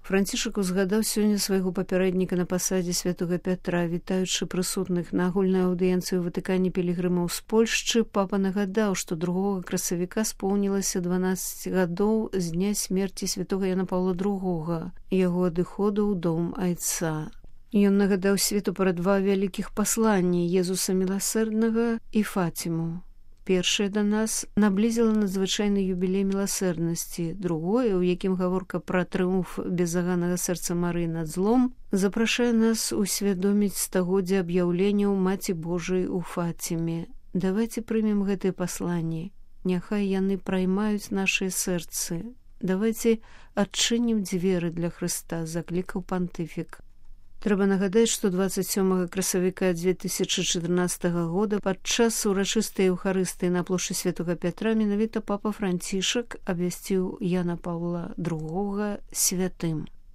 Францішак узгадаў сёння свайго папярэдніка на пасадзе святога Пятра. Вітаючы прысутных на агульнай аўдыенцыі ў Ватыкане пілігрымаў з Польшчы, папа нагадаў, што 2 красавіка споўнілася 12 гадоў з дня смерці святога Яна Паўла II, яго адыходу ў дом айца. Ён нагадаў свету пра 2 вялікіх пасланні Езуса Міласэрднага і Фатіму. Першае да нас наблізіла надзвычайны юбілей міласэрнасці, другое, у якім гаворка пра трыумф безаганага сэрца Марыі над злом, запрашае нас усвядоміць стагоддзе аб'яўленняў Маці Божай у Фаціме. Давайце прымем гэтыя пасланні, няхай яны праймаюць нашыя сэрцы. Давайце адчынім дзверы для Хрыста, заклікаў пантыфік. Трэба нагадаць, што 27 красавіка 2014 года падчас урачыстай Еўхарыстыі на плошчы святога Пятра менавіта папа Францішак абвясціў Яна Паўла II святым.